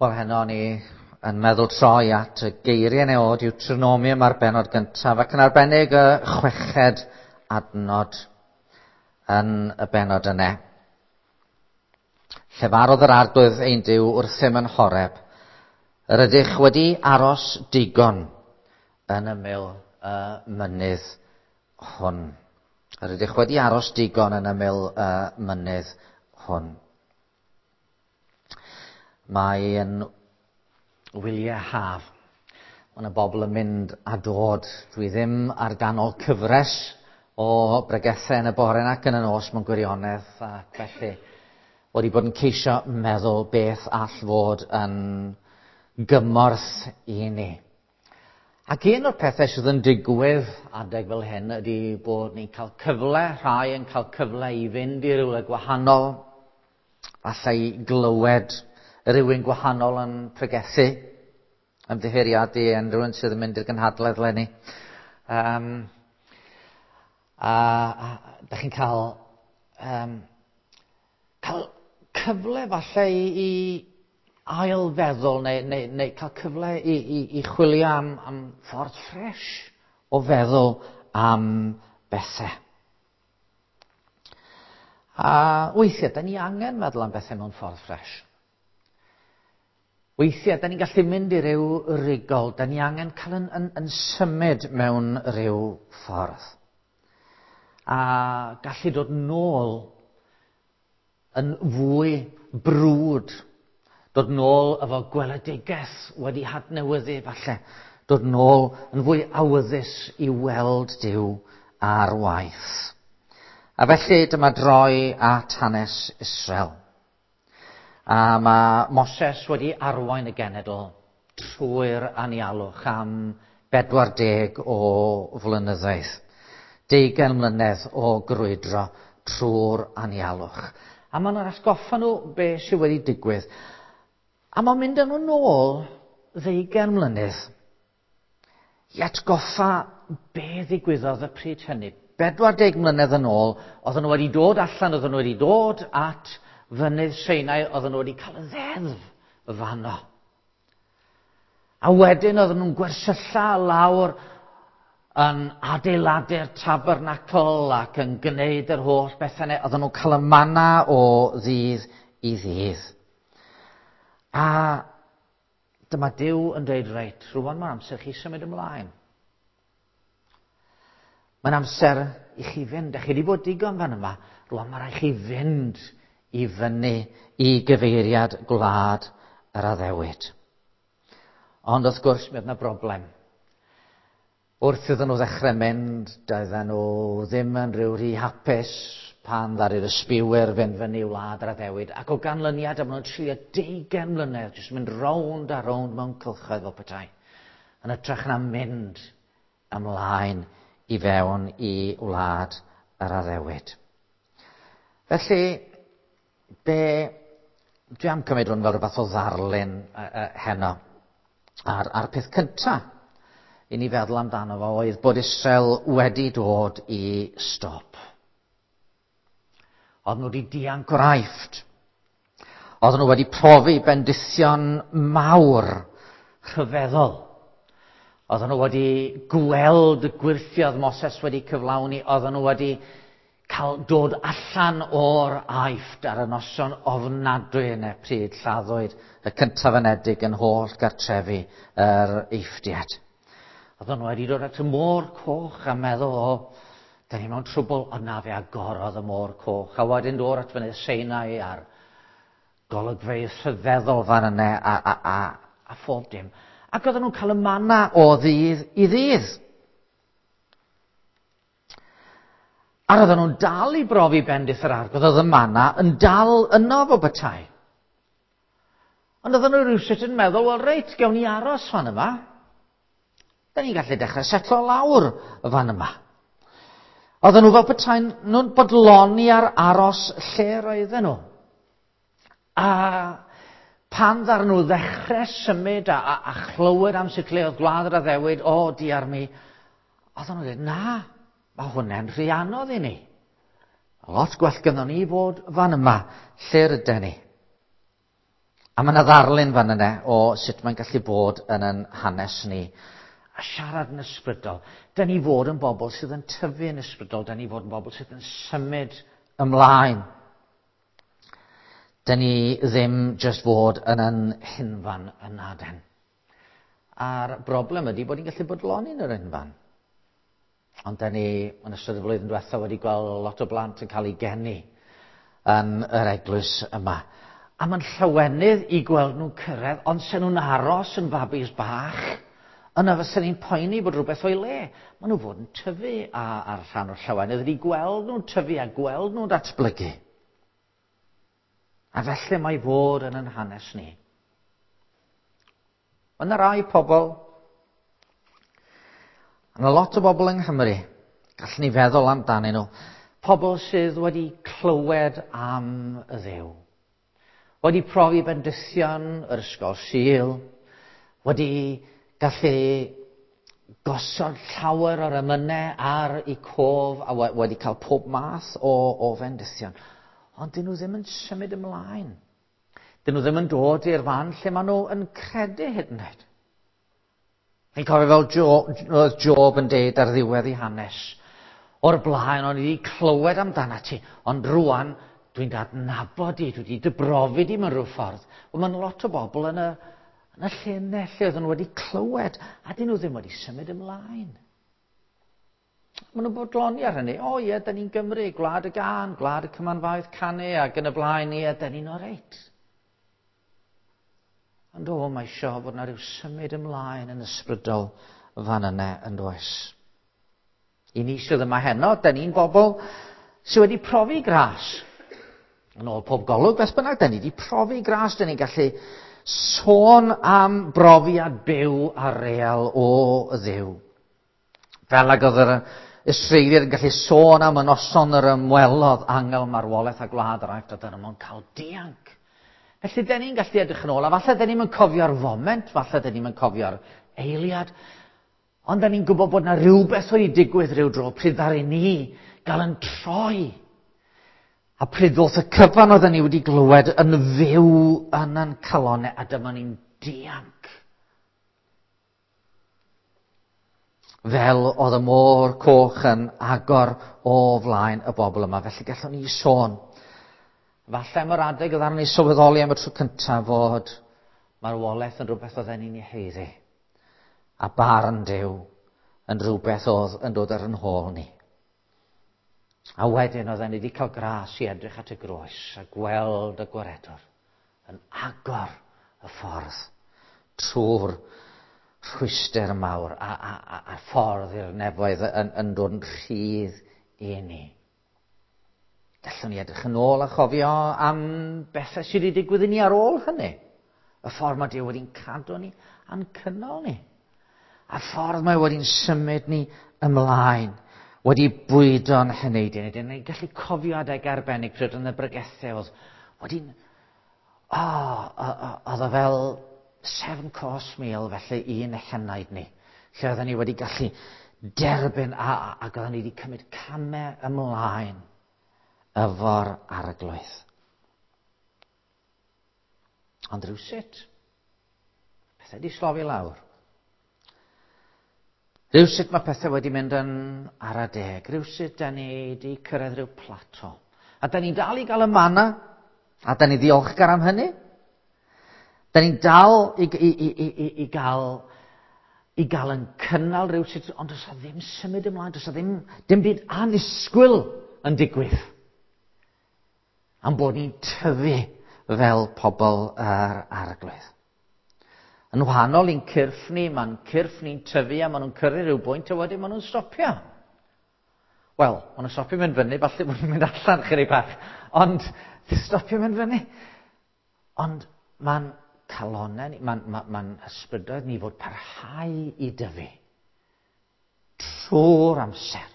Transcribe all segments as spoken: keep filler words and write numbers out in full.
Wel, heno ni yn meddwl troi at y geiriau neu o Deuteronomium ar bennod gyntaf, ac yn arbennig y chweched adnod yn y bennod yna. Llefarodd yr Arglwydd ein Duw wrthym yn Horeb, yr ydych wedi aros digon yn ymyl y mynydd hwn. Yr ydych wedi aros digon yn ymyl y mynydd hwn. Mae yn wyliau haf. Mae yna bobl yn mynd a dod. Dwi ddim ar ganol cyfres o bregethau yn y bore ac yn y nos mewn gwirionedd, ac felly wedi bod yn ceisio meddwl beth all fod yn gymorth i ni. Ac un o'r pethau sydd yn digwydd adeg fel hyn ydy bod ni'n cael cyfle, rhai yn cael cyfle i fynd i rywle gwahanol, falle i glywed rhywun gwahanol yn pregethu, ymddiheuriadu yn rhywun sydd yn mynd i'r gynhadledd leni. Um, a, a da chi'n cael, um, cael cyfle falle i, i ailfeddwl neu, neu, neu cael cyfle i, i, i chwilio am, am ffordd ffres o feddwl am bethau. A weithiau, da ni angen meddwl am bethau mewn ffordd ffres. Weithiau, da ni'n gallu mynd i ryw rigol, da ni angen cael yn, yn, yn symud mewn ryw ffordd. A gallu dod nôl yn fwy brwd, dod nôl efo gweledigaeth wedi hadnewyddu falle, dod nôl yn fwy awyddus i weld Duw ar waith. A felly dyma droi at hanes Israel. A mae Moses wedi arwain y genedl trwy'r anialwch am bedwar deg o flynyddoedd. Deugain mlynedd o grwydro trwy'r anialwch. A maen nhw'n atgoffa nhw beth sydd wedi digwydd. A mae'n mynd â nhw nôl ddeugain mlynedd i atgoffa be ddigwyddodd y pryd hynny. Bedwar deg mlynedd yn ôl, oedden nhw wedi dod allan, oedden nhw wedi dod at fynydd Sinai, oedden nhw wedi cael y ddeddf fanno. A wedyn oedden nhw'n gwersylla lawr yn adeiladu'r tabernacl ac yn gwneud yr holl bethau yna. Oedden nhw'n cael y manna o ddydd i ddydd. A dyma Duw yn dweud, reit, rŵan mae'n amser chi symud ymlaen. Mae'n amser i chi fynd. A chi wedi bod digon fan yma. Rŵan mae rhaid chi fynd i fyny i gyfeiriad gwlad yr addewid. Ond wrth gwrs, mi oedd yna broblem. Wrth iddyn nhw ddechrau mynd, doedden nhw ddim yn rhyw rhy hapus pan ddaru'r ysbiwyr fynd fyny i wlad yr addewid, ac o ganlyniad am nhw'n trio deugain mlynedd, jyst mynd rownd a rownd mewn cylchoedd fel petai, yn hytrach na mynd ymlaen i fewn i wlad yr addewid. Felly, be dwi am cymryd hwn fel rhywbeth o ddarlun uh, uh, heno. A'r, a'r peth cynta i ni feddwl amdano fo oedd bod Israel wedi dod i stop. Oedden nhw wedi dianc o'r Aifft. Oedden nhw wedi profi bendithion mawr rhyfeddol. Oedden nhw wedi gweld y gwyrthiodd Moses wedi cyflawni. Oedden nhw wedi cael dod allan o'r Aifft ar y noson ofnadwy yna pryd lladdwyd y cyntaf-anedig yn holl gartrefi yr Eifftiaid. Oedden nhw wedi dod at y môr coch a meddwl, o, da ni mewn trwbl, ond na fe agorodd y môr coch. A wedyn dod at fynydd Sinai a'r golygfeydd rhyfeddol fan yna a, a, a, a phob dim. Ac oedden nhw'n cael y manna o ddydd i ddydd. A roedden nhw'n dal i brofi bendith yr Arglwydd, oedd y manna yn dal yno fo bethau. Ond oedden nhw rhywsut yn meddwl, wel reit, gewn ni aros fan yma. Da ni'n gallu dechrau setlo lawr fan yma. Oedden nhw fel petai nhw'n bodloni ar aros lle roedden nhw. A pan ddaru nhw ddechrau symud a, a, a chlywed am sut le oedd gwlad yr addewid, o, diar mi, oedden nhw'n dweud, na, mae hwnna'n rhy anodd i ni. Lot gwell gynnon ni fod fan yma, lle rydyn ni. A mae yna ddarlun fan yna o sut mae'n gallu bod yn yn hanes ni. A siarad yn ysbrydol. Da ni fod yn bobl sydd yn tyfu yn ysbrydol. Da ni fod yn bobl sydd yn symud ymlaen. Da ni ddim jyst fod yn yn hunfan yna den. A'r broblem ydy bod ni'n gallu bodloni yn yr unfan. Ond da ni, yn ystod y flwyddyn diwethaf, wedi gweld lot o blant yn cael eu geni yn yr eglwys yma. A mae'n llawenydd i gweld nhw'n cyrraedd, ond sen nhw'n aros yn fabis bach, yna fysen ni'n poeni bod rhywbeth o'i le. Maen nhw fod yn tyfu a, a'r rhan o'r llawenydd ydy gweld nhw'n tyfu a gweld nhw'n datblygu. A felly mae fod yn yn hanes ni. Mae yna rai pobl, yna lot o bobl yng Nghymru, gallwn ni feddwl amdanyn nhw, pobl sydd wedi clywed am y Dduw, wedi profi bendithion yr ysgol Sul, wedi gallu gosod llawer o'r emynau ar eu cof a wedi cael pob math o, o fendithion. Ond dyn nhw ddim yn symud ymlaen. Dyn nhw ddim yn dod i'r fan lle maen nhw yn credu hyd yn oed. Fi'n cofio fel Job, Job yn deud ar ddiwedd ei hanes. O'r blaen o'n i wedi clywed amdana ti, ond rwan dwi'n dadnabod di, dwi wedi dy brofi di mewn rhyw ffordd. Wel, mae'n lot o bobl yn y, yn y lle yna, lle oedden nhw wedi clywed, a dyn nhw ddim wedi symud ymlaen. Maen nhw'n bodloni ar hynny. O ie, da ni'n Gymru, gwlad y gân, gwlad y cymanfaoedd canu, ac yn y blaen, ie, da ni'n oreit. Ond o, mae isio fod yna rhyw symud ymlaen yn ysbrydol fan yna yn does. I ni sydd yma heno, da ni'n bobl sydd wedi profi gras. Yn ôl pob golwg, beth bynnag, da ni wedi profi gras, da ni'n gallu sôn am brofiad byw a real o Dduw. Fel ag oedd yr Israeliaid yn gallu sôn am y noson yr ymwelodd angel marwolaeth a gwlad yr Aifft, a dyna nhw'n cael dianc. Felly, da ni'n gallu edrych yn ôl, a falle da ni'n cofio'r foment, falle da ni'n cofio'r eiliad, ond da ni'n gwybod bod yna rhywbeth wedi digwydd rhyw dro pryd ddaru ni gael yn troi. A pryd ddoth y cyfan oedden ni wedi glywed yn fyw yn ein calonnau, a dyma ni'n dianc. Fel oedd y môr coch yn agor o flaen y bobl yma. Felly gallwn ni sôn. Falle am yr adeg oedd arnon ni sylweddoli am y tro cyntaf fod marwolaeth yn rhywbeth oedden ni'n ei haeddu. A barn Duw yn rhywbeth oedd yn dod ar yn hôl ni. A wedyn oedden ni wedi cael gras i edrych at y groes a gweld y gwaredwr yn agor y ffordd trwy'r rhwyster mawr a, a, a, a ffordd i'r nefoedd yn, yn dod yn rhydd i ni. Gallwn ni edrych yn ôl a chofio am bethau sydd wedi digwydd i ni ar ôl hynny. Y ffordd mae Duw wedi'n cadw ni a'n cynnal ni. A ffordd mae wedi'n symud ni ymlaen. Wedi bwydo'n heneidiau ni. Ni'n gallu cofio adeg arbennig pryd yn y bregethau oedd wedi'n... O, oedd o fel seven course meal felly un henaid ni. Lle oedden ni wedi gallu derbyn a, ac oedden ni wedi cymryd camau ymlaen efo'r arglwydd. Ond rhywsut, pethau wedi slofi lawr. Rhywsut mae pethau wedi mynd yn ara deg. Rhywsut da ni wedi cyrraedd rhyw plato. A da ni'n dal i gael y mana, a da ni ddiolchgar am hynny. Da ni'n dal i, i, i, i, i, gael, i gael yn cynnal rhywsut, ond does 'na ddim symud ymlaen, does 'na ddim, dim byd annisgwyl yn digwydd. Am bod ni'n tyfu fel pobl yr arglwydd. Yn wahanol i'n cyrff ni, mae'n cyrff ni'n tyfu a maen nhw'n cyrru rhyw bwynt a wedyn maen nhw'n stopio. Wel, maen nhw'n stopio mynd fyny, falle bod nhw'n mynd allan chydig bach, ond stopio mynd fyny. Ond mae'n calonnau ni, mae'n ma, ma ysbrydoedd ni fod parhau i dyfu trwy'r amser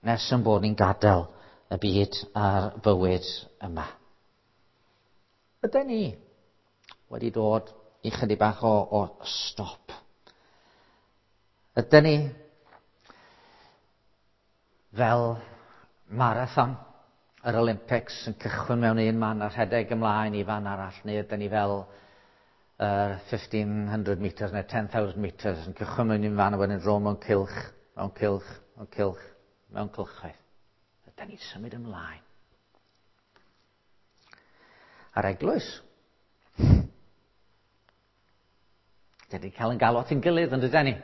nes yn bod ni'n gadael y byd a'r bywyd yma. Ydyn ni wedi dod i chydig bach o, o stop? Ydyn ni fel marathon yr Olympics yn cychwyn mewn un man a rhedeg ymlaen i fan arall, neu ydyn ni fel uh, fifteen hundred metres neu ten thousand metres yn cychwyn mewn un fan a wedyn dro mewn cylch, mewn cylch, mewn cylch, mewn cylchoedd. Ydyn ni'n symud ymlaen. A'r eglwys. Dyn ni'n cael yn galw at ein gilydd, yn dydyn ni?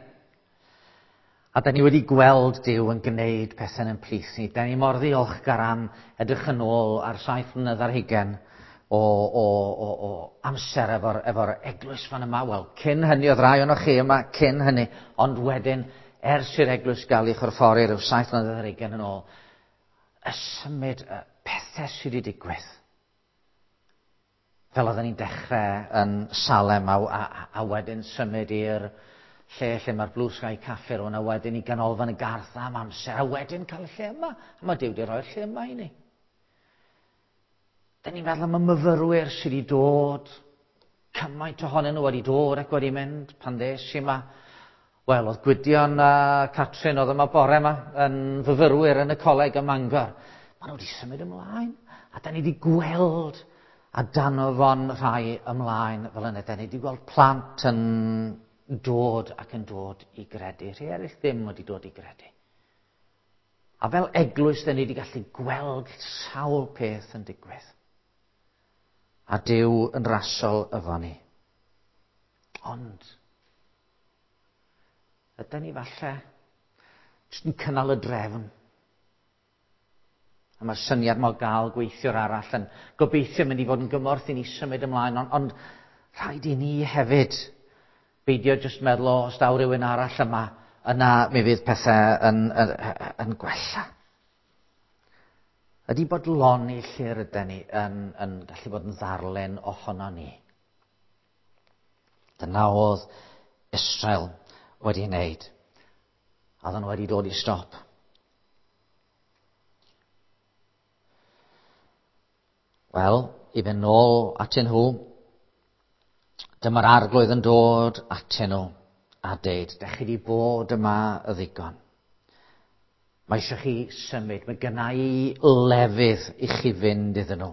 A da ni wedi gweld Duw yn gwneud pethau yn plith ni. Da ni mor ddiolchgar am edrych yn ôl ar saith mlynedd ar hugain o, o, o, o amser efo'r efo eglwys fan yma. Wel, cyn hynny, oedd rai ohonoch chi yma, cyn hynny, ond wedyn, ers i'r eglwys gael ei chorffori rhyw saith mlynedd ar hugain yn ôl, y symud y pethau sydd wedi digwydd. Fel oedden ni'n dechrau yn Salem a, a, a wedyn symud i'r lle lle mae'r Blue Sky Cafe rwan, a wedyn i ganolfan y Garth am amser, a wedyn cael y lle yma. A mae Duw wedi rhoi'r lle yma i ni. Da ni'n meddwl am y myfyrwyr sydd wedi dod, cymaint ohonyn nhw wedi dod ac wedi mynd pan ddes i yma. Wel, oedd Gwydion a Catrin oedd yma bore yma yn fyfyrwyr yn y coleg ym Mangor. Maen nhw wedi symud ymlaen, a da ni wedi gweld a danofon rhai ymlaen fel yna. Da ni wedi gweld plant yn dod ac yn dod i gredu. Rhai eraill ddim wedi dod i gredu. A fel eglwys, da ni wedi gallu gweld sawl peth yn digwydd. A Duw yn rasol efo ni. Ond, ydyn ni falle jyst yn cynnal y drefn. A mae'r syniad mae o gael gweithiwr arall yn gobeithio mynd i fod yn gymorth i ni symud ymlaen, ond, ond rhaid i ni hefyd beidio jyst meddwl, o, os daw rhywun arall yma, yna mi fydd pethau yn, yn, yn gwella. Ydy bodloni lle rydyn ni yn, yn gallu bod yn ddarlun ohono ni. Dyna oedd Israel wedi wneud. A oedden nhw wedi dod i stop. Wel, i fynd nôl atyn nhw, dyma'r arglwydd yn dod atyn nhw a deud, dech chi wedi bod yma y ddigon. Mae eisiau chi symud, mae gynna i lefydd i chi fynd iddyn nhw.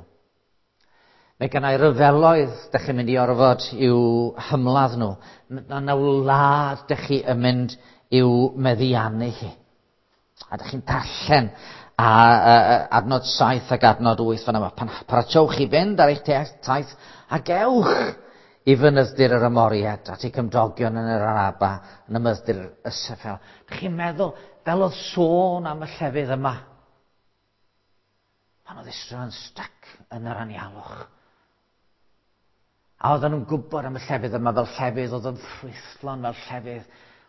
Mae gynna i ryfeloedd dech chi'n mynd i orfod i'w hymladd nhw. Mae yna wlad dech chi yn mynd i'w meddiannu hi. A dech chi'n darllen a, a, a adnod saith ac adnod wyth fan yma. Pan paratowch chi fynd ar eich taith a gewch i fynydd-dir yr Amoriad at eu cymdogion yn yr Araba, yn y mynydd-dir y Seffel. Chi'n meddwl, fel oedd sôn am y llefydd yma, pan oedd Israel yn styc yn yr anialwch. A oedden nhw'n gwybod am y llefydd yma fel llefydd oedd yn ffrwythlon, fel llefydd,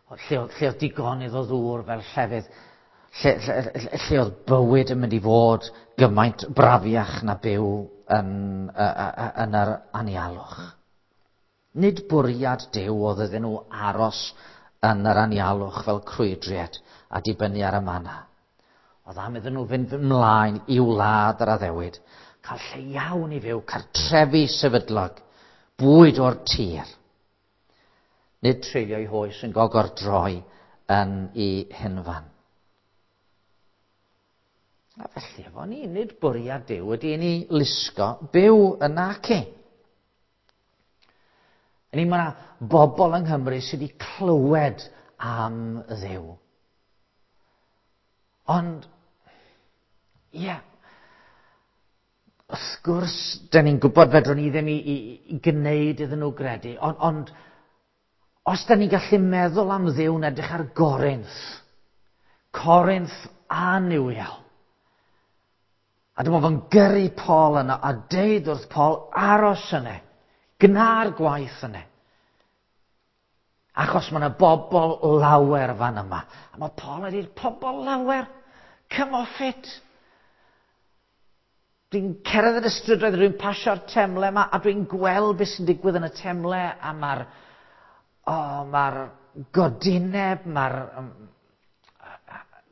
lle oedd, lle oedd digonydd o ddŵr, fel llefydd, lle, lle, lle, lle oedd bywyd yn mynd i fod gymaint brafiach na byw yn, yn yr anialwch. Nid bwriad Duw oedd iddyn nhw aros yn yr anialwch fel crwydriad a dibynnu ar y manna. Oedd am iddyn nhw fynd ymlaen i wlad yr addewid, cael lle iawn i fyw, cartrefi sefydlog, bwyd o'r tir. Nid treulio'i hoes yn gogordroi yn ei hunfan. A felly efo ni, nid bwriad Duw ydy i ni lusgo byw yn naci. Ni mae yna bobl yng Nghymru sydd wedi clywed am Dduw. Ond, ie, yeah, wrth gwrs, dyn ni'n gwybod fedrwn ni ddim i, i, i gwneud iddyn nhw gredu, ond, ond os dyn ni'n gallu meddwl am Dduw'n edrych ar Gorinth, Corinth annuwiol, a dyma fo'n gyrru Paul yna a deud wrth Paul, aros yna, gna'r gwaith yna. Achos mae yna bobl lawer fan yma. A mae Paul ydy'r pobl lawer. Come off it. Dwi'n cerdded y strydoedd, dwi'n pasio'r temle yma, a dwi'n gweld beth sy'n digwydd yn y temle, a mae'r oh, mae'r godineb, mae'r um,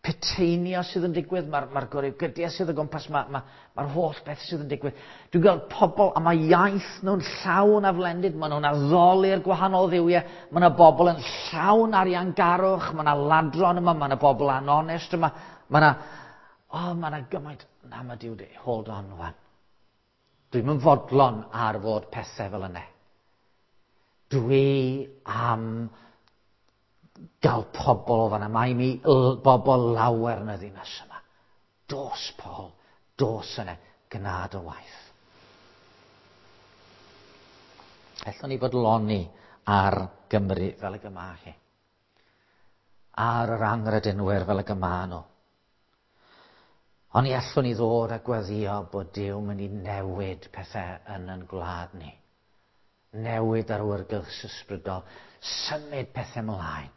peteinio sydd yn digwydd, mae'r ma gorygydiau sydd o gwmpas, mae'r ma, ma holl beth sydd yn digwydd. Dwi'n gweld pobl, a mae iaith nhw'n llawn aflendid, maen nhw'n addoli'r gwahanol dduwiau, mae yna bobl yn llawn ariangarwch, mae yna ladron yma, mae yna bobl anonest yma, mae yna... O, oh, mae yna gymaint. Na, mae Duw dweud, hold on wan. Dwi'm yn fodlon ar fod pethau fel yna. Dwi am gael pobl o fanna. Mae mi bobl lawer yn y ddinas yma. Dos, Paul. Dos yna. Gwna dy waith. Allwn ni fodloni ar Gymru fel y gyma hi. Ar yr anghredinwyr fel y gyma nhw. Ond i allwn ni ddod a gweddio bod Duw mynd i newid pethau yn yn gwlad ni. Newid ar awyrgylch ysbrydol. Symud pethau ymlaen.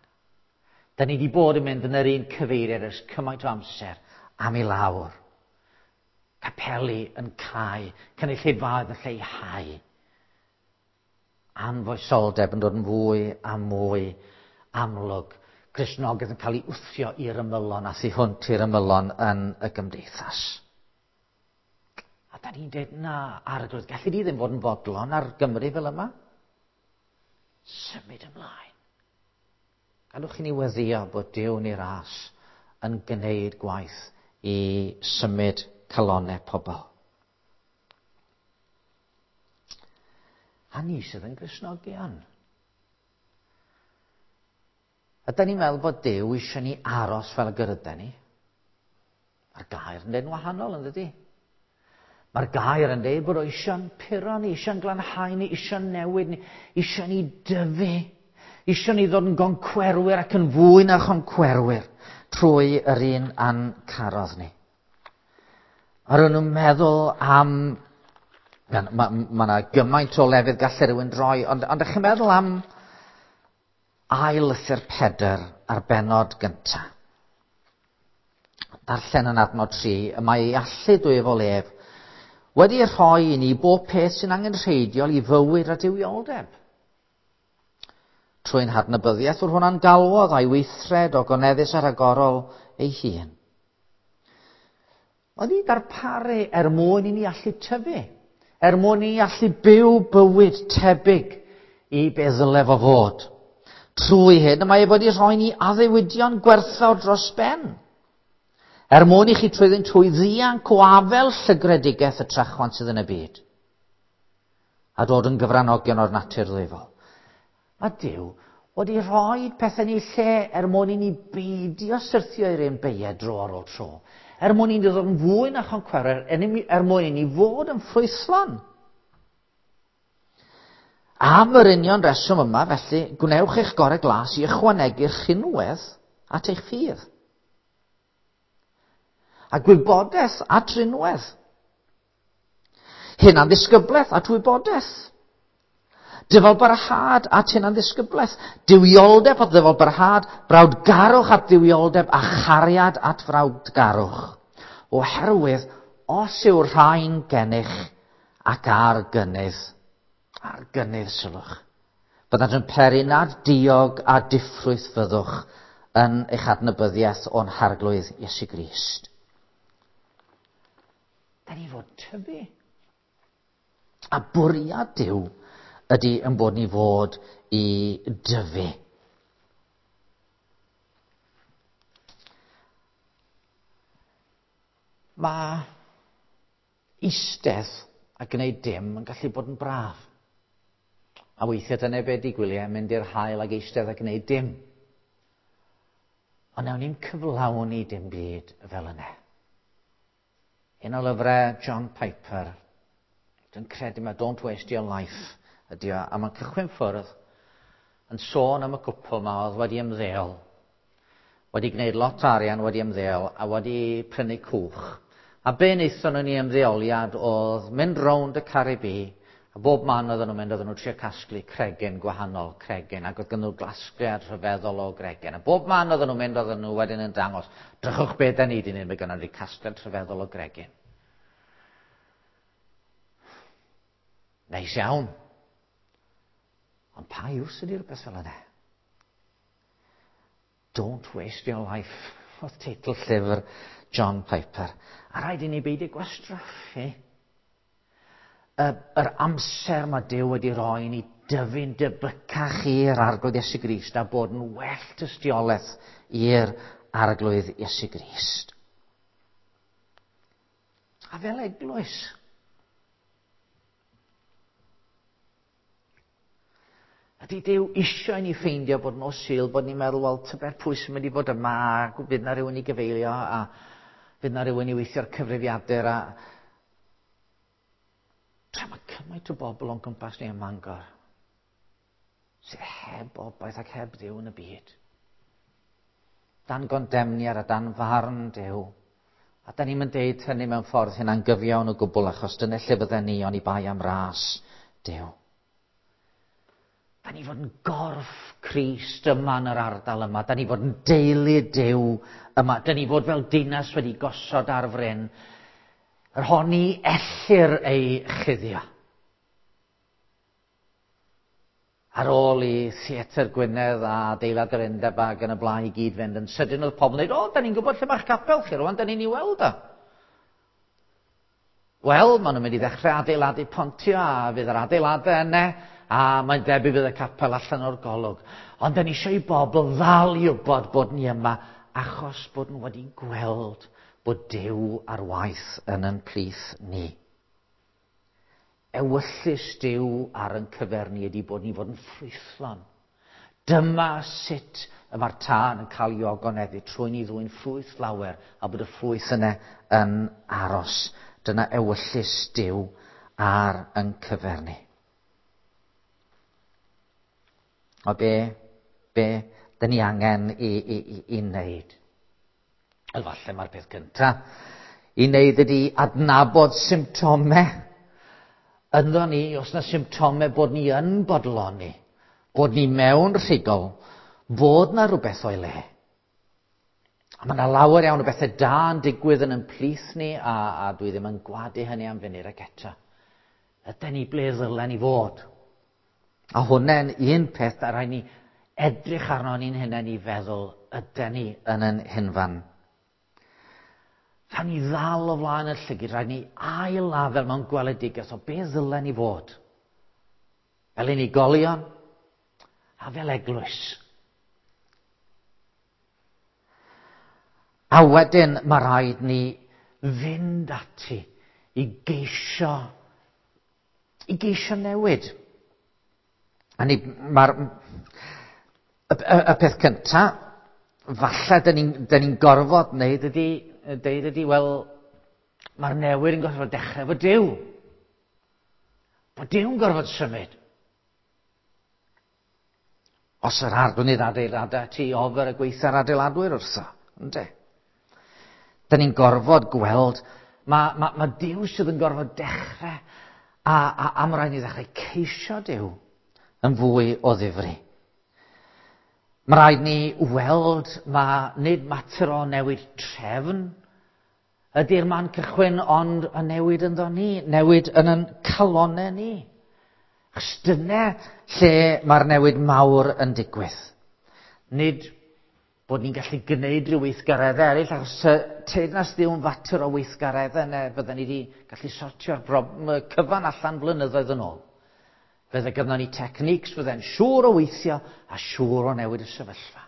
Da ni wedi bod yn mynd yn yr un cyfeiriad ers cymaint o amser am i lawr. Capeli yn cau, cynulleidfaoedd yn lleihau. Anfoesoldeb yn dod yn fwy a mwy amlwg. Cristnogaeth yn cael ei wthio i'r ymylon a thu hwnt i'r ymylon yn y gymdeithas. A da ni'n dweud, na, Arglwydd, gallu di ddim fod yn fodlon ar Gymru fel yma? Symud ymlaen. Gadwch i ni weddio bod Duw yn ei ras yn gwneud gwaith i symud calonnau pobl. A ni sydd yn Gristnogion. Ydy ni'n meddwl bod Duw eisiau ni aros fel y gyda ni? Mae'r gair yn dweud yn wahanol, yn dydy? Mae'r gair yn dweud bod o eisiau'n puro ni, eisiau'n glanhau ni, eisiau'n newid ni, eisiau ni dyfu, eisiau ni ddod yn goncwerwyr ac yn fwy na choncwerwyr trwy yr un a'n carodd ni. A rydyn nhw'n meddwl am... Mae ma, ma yna gymaint o lefydd gallai rhywun droi, ond, ond ydych chi'n meddwl am ail lythyr Pedr ar bennod gyntaf. Darllen yn adnod tri, y mae ei allu dwyfol ef wedi rhoi i ni bob peth sy'n angenrheidiol i fywyd a duwioldeb. Trwy'n hadnabyddiaeth wrth hwnna'n galwodd a'i weithred o goneddus a rhagorol ei hun. Oedd i darparu er mwyn i ni allu tyfu, er mwyn i ni allu byw bywyd tebyg i be ddyle fo fod. Trwy hyn, mae e wedi rhoi ni addewidion gwerthfawr dros ben. Er mwyn i chi trwyddynt trwy ddianc o afel llygredigaeth y trachwant sydd yn y byd. A dod yn gyfranogion o'r natur ddwyfol. Mae Duw wedi rhoi pethau ni lle er mwyn i ni beidio syrthio i'r un beiau dro ar ôl tro. Er mwyn i ni ddod yn fwy na choncwerwyr, er mwyn i ni fod yn ffrwythlon. Am yr union reswm yma, felly, gwnewch eich gorau glas i ychwanegu'r rhinwedd at eich ffydd. A gwybodaeth at rinwedd. Hunanddisgyblaeth at wybodaeth. Dyfalbarhad at hunanddisgyblaeth. Duwioldeb at ddyfalbarhad, brawdgarwch at dduwioldeb a chariad at frawdgarwch. Oherwydd, os yw'r rhain gennych ac ar gynnydd, ar gynnydd sylwch, byddant yn peri nad diog a diffrwyth fyddwch yn eich adnabyddiaeth o'n Harglwydd Iesu Grist. Da ni fod tyfu. A bwriad Duw ydy yn bod ni fod i dyfu. Mae eistedd a gwneud dim yn gallu bod yn braf. A weithiau dyna be di gwyliau, mynd i'r haul ag eistedd a gwneud dim. Ond nawn ni'n cyflawni dim byd fel yna. Un o lyfrau John Piper, dwi'n credu mae Don't Waste Your Life ydy o, a mae'n cychwyn ffwrdd yn sôn am y cwpl yma oedd wedi ymddeol, wedi gwneud lot o arian wedi ymddeol a wedi prynu cwch. A be wnaethon nhw'n ei ymddeoliad oedd mynd rownd y Caribi, a bob man oedden nhw'n mynd, oedden nhw'n trio casglu cregyn gwahanol, cregyn, ac oedd gen nhw glasgliad rhyfeddol o gregyn. A bob man oedden nhw'n mynd, oedden nhw wedyn yn dangos, drychwch be da ni di wneud, mae gynnon ni casgliad rhyfeddol o gregyn. Neis iawn. Ond pa iws ydy rhywbeth fel yna? Don't Waste Your Life, oedd teitl llyfr John Piper. A rhaid i ni beidio gwastraffu yr amser mae Duw wedi roi i ni dyfu'n debycach i'r Arglwydd Iesu Grist a bod yn well tystiolaeth i'r Arglwydd Iesu Grist. A fel eglwys. Ydy Duw eisiau i ni ffeindio bod nos Sul, bod ni'n meddwl, wel, tybed pwy sy'n mynd i fod yma, a fydd na rhywun i gyfeilio, a fydd na rhywun i weithio'r cyfrifiadur, a tra mae cymaint o bobl o'n cwmpas ni ym Mangor sydd heb obaith ac heb Dduw yn y byd. Dan gondemniad a dan farn Duw. A da ni'n deud hynny mewn ffordd hynna'n gyfiawn o gwbl, achos dyna lle fydden ni oni bai am ras Duw. Da ni fod yn gorff Crist yma yn yr ardal yma. Da ni fod yn deulu Duw yma. Da ni fod fel dinas wedi gosod ar fryn, yr hon ni ellir ei chuddio. Ar ôl i Theatr Gwynedd a adeilad yr Undeb ac yn y blaen i gyd fynd yn sydyn, oedd pobl yn dweud, o, da ni'n gwybod lle mae'ch capel chi rwan, da ni'n ei weld o. Wel, maen nhw'n mynd i ddechrau adeiladu pontio, a fydd yr adeiladau yna, a mae'n debyg fydd y capel allan o'r golwg. Ond da ni eisiau i bobl ddal i wybod bod ni yma, achos bod nhw wedi gweld bod Duw ar waith yn yn plith ni. Ewyllys Duw ar yn cyfer ni ydy bod ni fod yn ffrwythlon. Dyma sut y mae'r tân yn cael ei ogoneddu, trwy ni ddwyn ffrwyth lawer, a bod y ffrwyth yna yn aros. Dyna ewyllys Duw ar yn cyfer ni. O be, be dyn ni angen i, i, i, i wneud? Wel, falle mae'r peth cyntaf i wneud ydy adnabod symptomau ynddo ni, os na symptomau bod ni yn bodloni, bod ni mewn rhigol, bod na rhywbeth o'i le. A mae yna lawer iawn o bethau da yn digwydd yn yn plith ni, a, a dwi ddim yn gwadu hynny am funud ac eto. Ydy ni ble ddylen ni fod? A hwnna'n un peth a rhaid ni edrych arno ni'n hunain i feddwl, ydy ni yn yn hunfan? Rhaid ni ddal o flaen y llygid, rhaid ni ail-lafel mewn gweledigaeth o be ddylen ni fod. Fel unigolion a fel eglwys. A wedyn mae rhaid ni fynd ati i geisio, i geisio newid. A ni, mae'r, y, y, y peth cyntaf, falle dyn ni'n ni gorfod wneud ydy, deud ydy, wel, mae'r newid yn gorfod dechrau efo Duw. Bod Duw'n gorfod symud. Os yr arglwydd adeiladau ti ofer y gweitha'r adeiladwyr wrtho, ynde? Dyn ni'n gorfod gweld, mae, mae, mae Duw sydd yn gorfod dechrau, a, a, a mae rhaid ni ddechrau ceisio Duw yn fwy o ddifri. Mae rhaid ni weld, mae nid mater o newid trefn ydy'r man cychwyn, ond y newid ynddo ni, newid yn yn calonnau ni. Achos dyna lle mae'r newid mawr yn digwydd. Nid bod ni'n gallu gwneud rhyw weithgareddau eraill, achos teyrnas Dduw'n fater o weithgareddau, neu fydden ni wedi gallu sortio'r cyfan allan blynyddoedd yn ôl. Fydde gynnon ni techniques fydde'n siŵr o weithio a siŵr o newid y sefyllfa.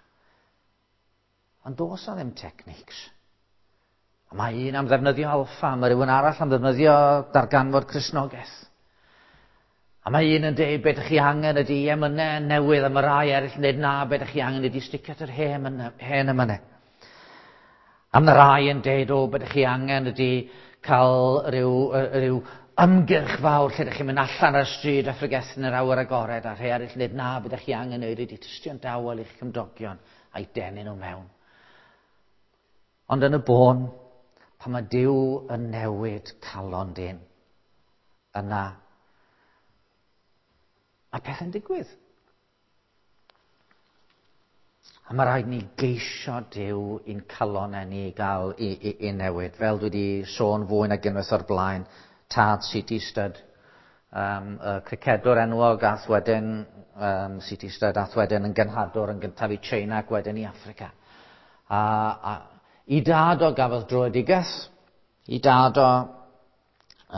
Ond does na ddim techniques. A mae un am ddefnyddio alffa, mae rhywun arall am ddefnyddio darganfod Cristnogaeth. A mae un yn deud beth ydych chi angen ydy emynau newydd, a mae rai eraill yn deud na, beth ydych chi angen ydy sticio at yr hen emynau. A mae rai yn deud, o, beth ydych chi angen ydy cael rhyw, rhyw ymgyrch fawr lle ydych chi'n mynd allan ar y stryd a phregethu yn yr awyr agored, a rhai eraill yn dweud, na, beth ydych chi angen wneud ydy tystio'n dawel i'ch cymdogion a'i denu nhw mewn. Ond yn y bôn, pan mae Duw yn newid calon dyn, yna mae pethau'n digwydd. A mae rhaid ni geisio Duw i'n calonau ni gael i, i, i newid. Fel dwi wedi sôn fwy nag unwaith o'r blaen, tad C T Studd, um, y cricedwr enwog ath wedyn, um, C T Studd ath wedyn yn genhadwr yn gyntaf i China ac wedyn i Affrica. A, a i dad o gafodd dröedigaeth, i dad o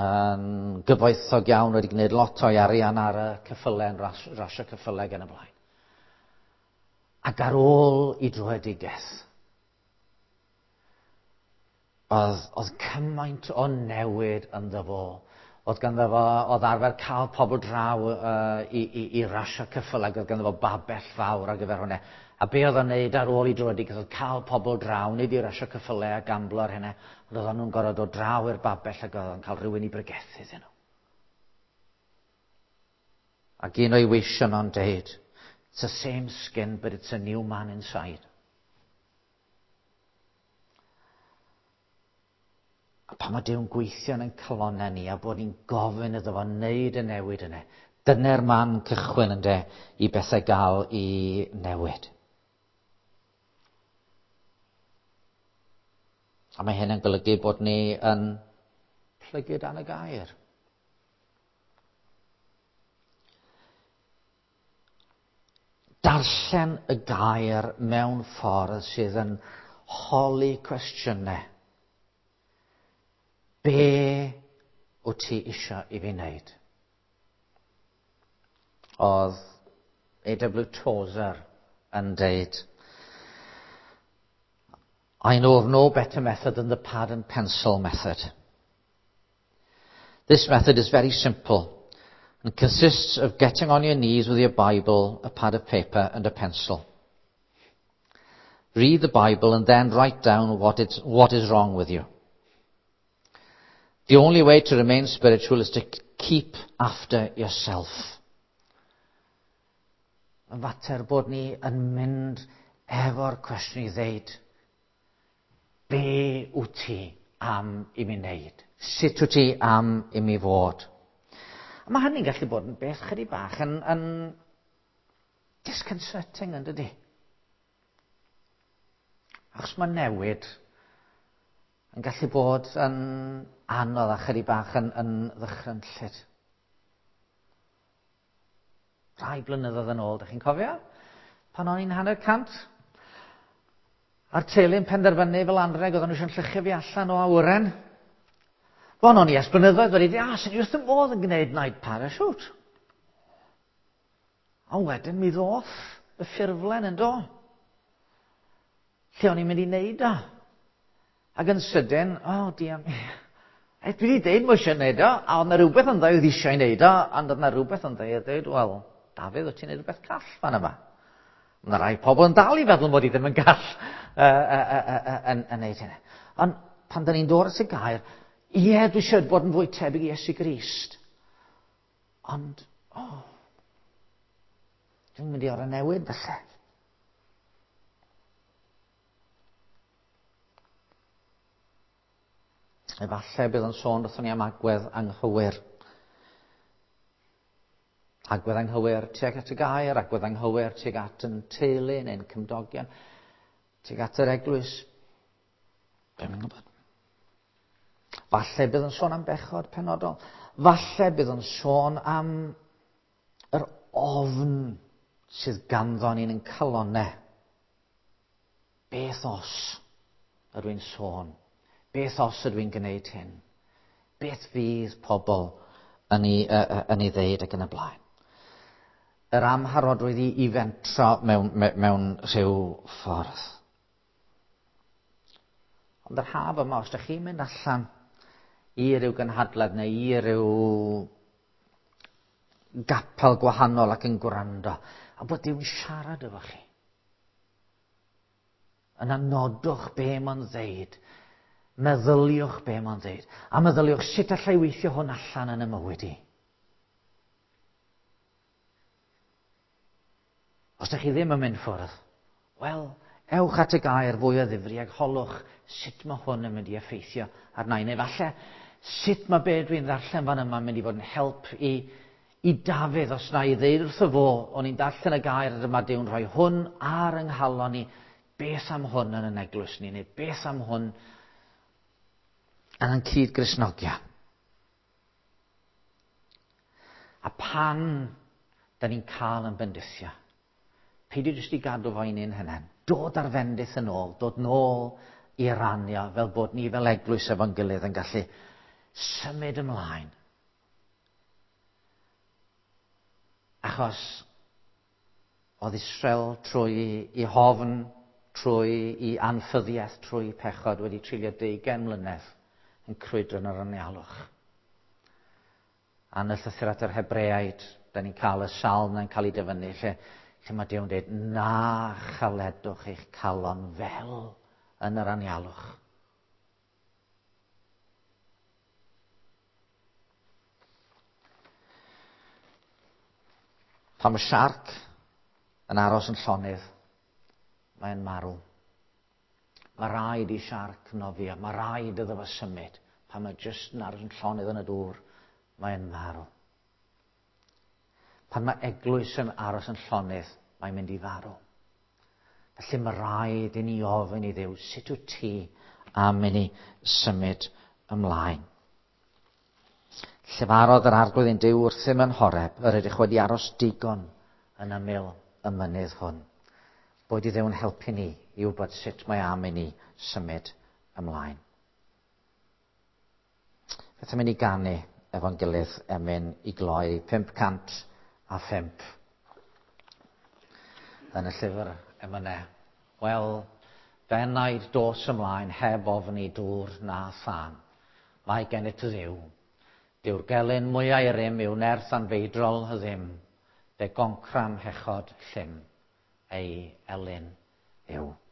yn gyfoethog iawn, wedi gwneud lot o'i arian ar y ceffylau, yn ras, rasio ceffylau gan y blaen. Ac ar ôl i dröedigaeth, Oedd, oedd cymaint o newid ynddo fo. Oedd ganddo fo, oedd arfer cael pobl draw uh, i, i, i rasio ceffylau, ac oedd ganddo fo babell fawr ar gyfer hwnna. A be oedd o'n neud ar ôl i dröedigaeth oedd cael pobl draw, nid i rasio ceffylau a gamblo ar hynny, ond oedd nhw'n gorfod dod draw i'r babell ac oedd o'n cael rhywun i bregethu iddyn nhw. Ac un o'i weision o'n deud, "It's the same skin, but it's a new man inside." A pan mae Duw'n gweithio yn ein calonnau ni a bod ni'n gofyn iddo fo wneud y newid yna, dyna'r man cychwyn ynde i bethau gael i newid. A mae hyn yn golygu bod ni yn plygu dan y gair. Darllen y gair mewn ffordd sydd yn holi cwestiynau. Be wyt ti eisiau i fi wneud? Oedd A W Tozer yn deud, "I know of no better method than the pad and pencil method. This method is very simple and consists of getting on your knees with your Bible, a pad of paper and a pencil. Read the Bible and then write down what, it's, what is wrong with you. The only way to remain spiritual is to keep after yourself." Yn fater bod ni yn mynd efo'r cwestiwn i ddeud, be wyt ti am i mi wneud? Sut wyt ti am i mi fod? A mae hynny'n gallu bod yn beth chydig bach yn, yn disconcerting, yn dydi? Achos mae newid yn gallu bod yn anodd a chydig bach yn, yn ddychrynllyd. Rhai blynyddoedd yn ôl, dych chi'n cofio? Pan o'n i'n hanner cant, a'r teulu'n penderfynu fel anreg oedden nhw eisiau'n lluchio fi allan o awyren. Wel, o'n i ers blynyddoedd wedi dweud, "A, sy'n i wrth y modd yn gwneud night parachute." Ond wedyn mi ddoth y ffurflen yn do. Lle o'n i'n mynd i wneud o? Ac yn sydyn, o, oh, diam, dwi wedi deud mo eisiau gwneud o, a oedd yna rhywbeth yn dweud oedd eisiau gwneud o, ond oedd yna rhywbeth yn dweud, dweud, "Wel, Dafydd, wyt ti'n gwneud rhywbeth call fan yma?" Mae yna rai pobl yn dal i feddwl mod i ddim yn gall uh, uh, uh, uh, yn, yn neud hynny. Ond pan da ni'n dod at y gair, ie, dwi eisiau bod yn fwy tebyg i Iesu Grist. Ond, o, oh, dwi'n mynd i orau newid felly. Efallai bydd yn sôn wrthon ni am agwedd anghywir. Agwedd anghywir tuag at y gair, agwedd anghywir tuag at yn teulu neu'n cymdogion, tuag at yr eglwys. Dwi'm yn gwybod. Falle bydd yn sôn am bechod penodol. Falle bydd yn sôn am yr ofn sydd ganddo ni'n yn calonnau. Beth os ydw i'n sôn? Beth os ydw i'n gwneud hyn? Beth fydd pobl yn ei, uh, yn ei ddeud ac yn y blaen? Yr amharodrwydd i, i fentro mewn, mewn rhyw ffordd. Ond yr haf yma, os ydych chi'n mynd allan i ryw gynhadledd neu i ryw gapel gwahanol ac yn gwrando, a bod Duw'n siarad efo chi, yna nodwch be mae'n ddeud. Meddyliwch be mae'n dweud. A meddyliwch sut allai weithio hwn allan yn y mywyd i. Os ydych chi ddim yn mynd ffwrdd, wel, ewch at y gair fwy o ddifri ac holwch sut mae hwn yn mynd i effeithio arna i. Neu falle, sut mae be dwi'n ddarllen fan yma yn mynd i fod yn help i, i Dafydd os na i ddeud wrtho fo, o'n i'n darllen y gair a dyma Duw'n rhoi hwn ar yng nghalon i, beth am hwn yn yn eglwys ni, neu beth am hwn yn ein cyd-Gristnogion. A pan da ni'n cael yn bendithio, peidio jyst i gadw fo i ni'n hunain. Dod ar fendith yn ôl, dod nôl i rannu fel bod ni fel eglwys efo'n gilydd yn gallu symud ymlaen. Achos oedd Israel trwy i hofn trwy i anffyddiaeth, trwy pechod, wedi treulio deugain mlynedd yn crwydro yn yr anialwch. A yn y llythyr at yr Hebreaid, da ni'n cael y salm na'n cael ei dyfynnu, lle, lle mae Duw'n dweud, na chaledwch eich calon fel yn yr anialwch. Pan mae siarc yn aros yn llonydd, mae'n marw. Mae rhaid i siarc nofio, mae rhaid iddo fo symud. Pan mae jyst yn aros yn llonydd yn y dŵr, mae'n marw. Pan mae eglwys yn aros yn llonydd, mae'n mynd i farw. Felly mae rhaid i ni ofyn i Dduw, sut wyt ti am i ni symud ymlaen? Llefarodd yr Arglwydd ein Duw wrthym yn Horeb, yr ydych wedi aros digon yn ymyl y mynydd hwn. Boed i Dduw'n helpu ni i wybod sut mae am i ni symud ymlaen. Beth am i ni ganu efo'n gilydd emyn i gloi pump cant a phump yn y llyfr emynau. Wel, fenaid dos ymlaen heb ofni dŵr na thân. Mae gennyt Dduw. Dyw'r gelyn mwyau rym yw nerth anfeidrol ddim. Fe goncram hechod llym ei elyn yw.